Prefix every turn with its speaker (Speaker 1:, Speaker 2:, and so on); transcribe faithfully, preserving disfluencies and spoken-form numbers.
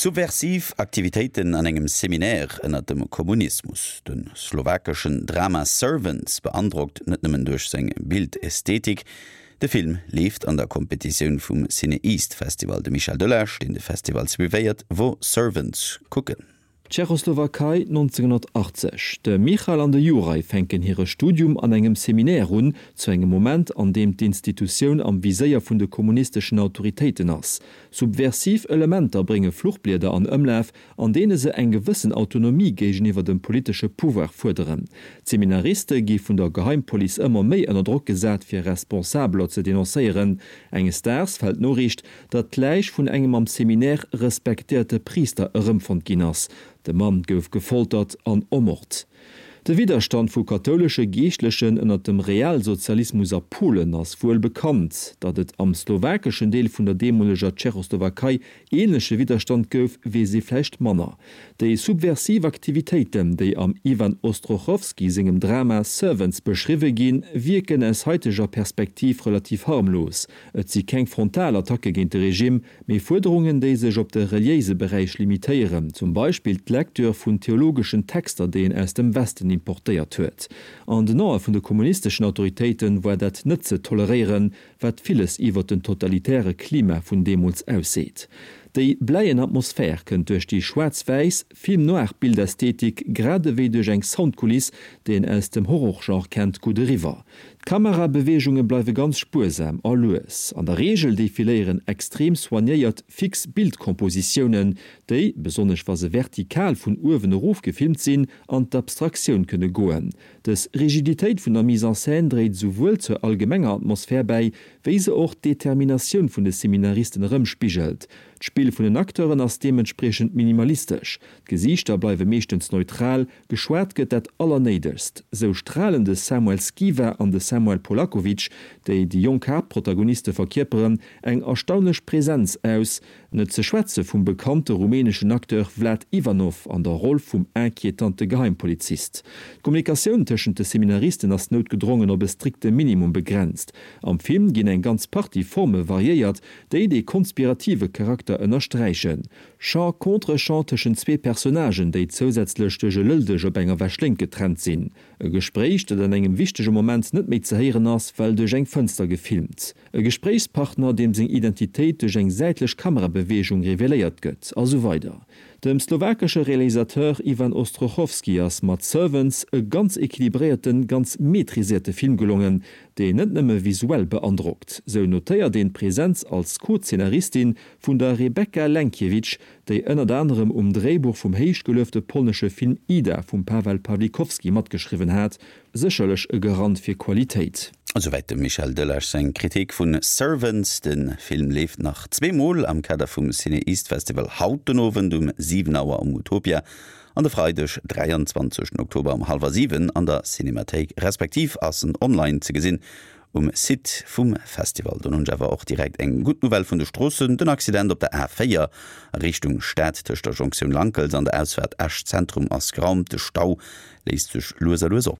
Speaker 1: Subversiv Aktivitéiten an engem Seminaire ënner dem Kommunismus. De slowakeschen Drama Servants beandrockt net nëmmen duerch seng Bildästhetik. De Film leeft an der Kompetitioun vum CinEast Festival. De Michel Delage, deen de Festival suivéiert, wor Servants kucken.
Speaker 2: Tschechoslowakei neunzehnhunnertachtzeg. De Michal an de Juraj fänken hire Studium an engem Seminaire un, zu engem Moment, an deem d'Institutioun am Viséier vun de kommunisteschen Autoritéiten ass. Subversiv Elementer brénge Fluchblieder an Ëmlaf, an deene se eng gewëssen Autonomie géigeniwwer dem politesche Pouvoir fuerderen. D'Seminariste gi vun der Geheimpolice ëmmer méi ënner Drock gesat, fir Responsabeler ze denoncéieren. Enges Daags fält d'Noriicht, datt d'Läich vun engem am Seminaire respektéierte Priister erëmfonnt ginn ass. De Mann gouf gefoltert an ermort. De Widderstand vu kathoulesche Geeschtlechen ënner dem Realsozialismus a Polen ass wuel bekannt. Datt et am slowakeschen Deel vun der deemoleger Tschechoslowakei änleche Widderstand gouf, weess ee vläicht manner. Déi subversiv Aktivitéiten, déi am Ivan Ostrochovský sengem Drama Servants beschriwwe ginn, wierken aus haiteger Perspektiv relativ harmlos. Et si keng frontal Attacke géint de Regime, mee Fuerderungen, déi sech op de reliéise Beräich limitéieren, zum Beispill d'Lektür vun theologeschen Texter, déi een aus dem Westen importéiert huet. An den Ae vun de kommunisteschen Autoritéiten war dat net ze toleréieren, wat villes iwwer den totalitäre Klima vun deemools ausseet. Déi bläien Atmosphär kënnt duerch déi schwaarz-wäiss Film-noir-Bildästhetik grad ewéi duerch eng Soundkuliss, déi een aus dem Horrorgenre kennt, gutt eriwwer. D'Kamerabeweegunge bleiwe ganz spuersam a lues. An der Reegel defiléieren extrem soignéiert fix Bildkompositiounen, déi, besonnesch wa se vertikal vun uewen erof gefilmt sinn, an d'Abstraktioun kënne goen. Dës Rigiditéit vun der Mise en scène dréit souwuel zur allgemenger Atmosphär bäi, wéi se och d'Determinatioun vun de Seminaristen erëmspigelt. D'Spill vun den Acteuren ass deementspriechend minimalistesch. D'Gesiichter bleiwe meeschtens neutral, geschwat gëtt dat Allernéidegst. Sou stralen de Samuel Skiva an de Samuel Polakovic, déi déi jonk Haaptprotagoniste verkierperen, eng erstaunlech Presenz aus, net ze schwätze vum bekannte rumäneschen Acteur Vlad Ivanov an der Roll vum inquietante Geheimpolizist. D'Kommunikatioun tëschent de Seminaristen ass noutgedrongen op e strikte Minimum begrenzt. Am Film ginn eng ganz Partie Forme variéiert, déi de konspirative Charakter ënnersträichen. Champ-Contrechamp tëschent zwee Personnagen, déi zousätzlech duerch e Lëlldësch op enger Wäschléngt getrennt sinn. E Gespréich, dat an engem wichtege Moment net méi ze héieren ass, well duerch eng Fënster gefilmt. E Gespréichspartner, deem seng Identitéit duerch eng säitlech Kamerabeweegung reveléiert gëtt, a sou weider. Dem slowakesche Realisateur Ivan Ostrochovský ass mat Servants e ganz equilibréierten, ganz maîtriséierte Film gelongen, deen net nëmme visuell beandrockt. Sou notéiert een d'Presenz als Co-Zeenaristin vun der Rebecca Lenkiewicz, déi ënnert anerem um Dréibuch vum héichgeluefte polnesche Film Ida vum Paweł Pawlikowski matgeschriwwen hat, sécherlech e Garant fir Qualitéit.
Speaker 1: Esouwäit dem Michel Delage seng Kritik vun Servants. De Film leeft nach zweemol am Kader vum CinEast Festival, haut den Owend um siwen Auer am Utopia an de Freideg dräianzwanzeg Oktober um hallwer siwen an der Cinemathéik, respektiv ass en online ze gesinn um Site vum Festival. Dann hunn ech awer och direkt eng gutt Nouvelle vun de Stroossen, Den Accident op der A véier a Richtung Stad tëscht der Jonktioun Lankels an der Ausfaart Esch Zentrum ass geraumt. De Stau léist sech lues a lues op.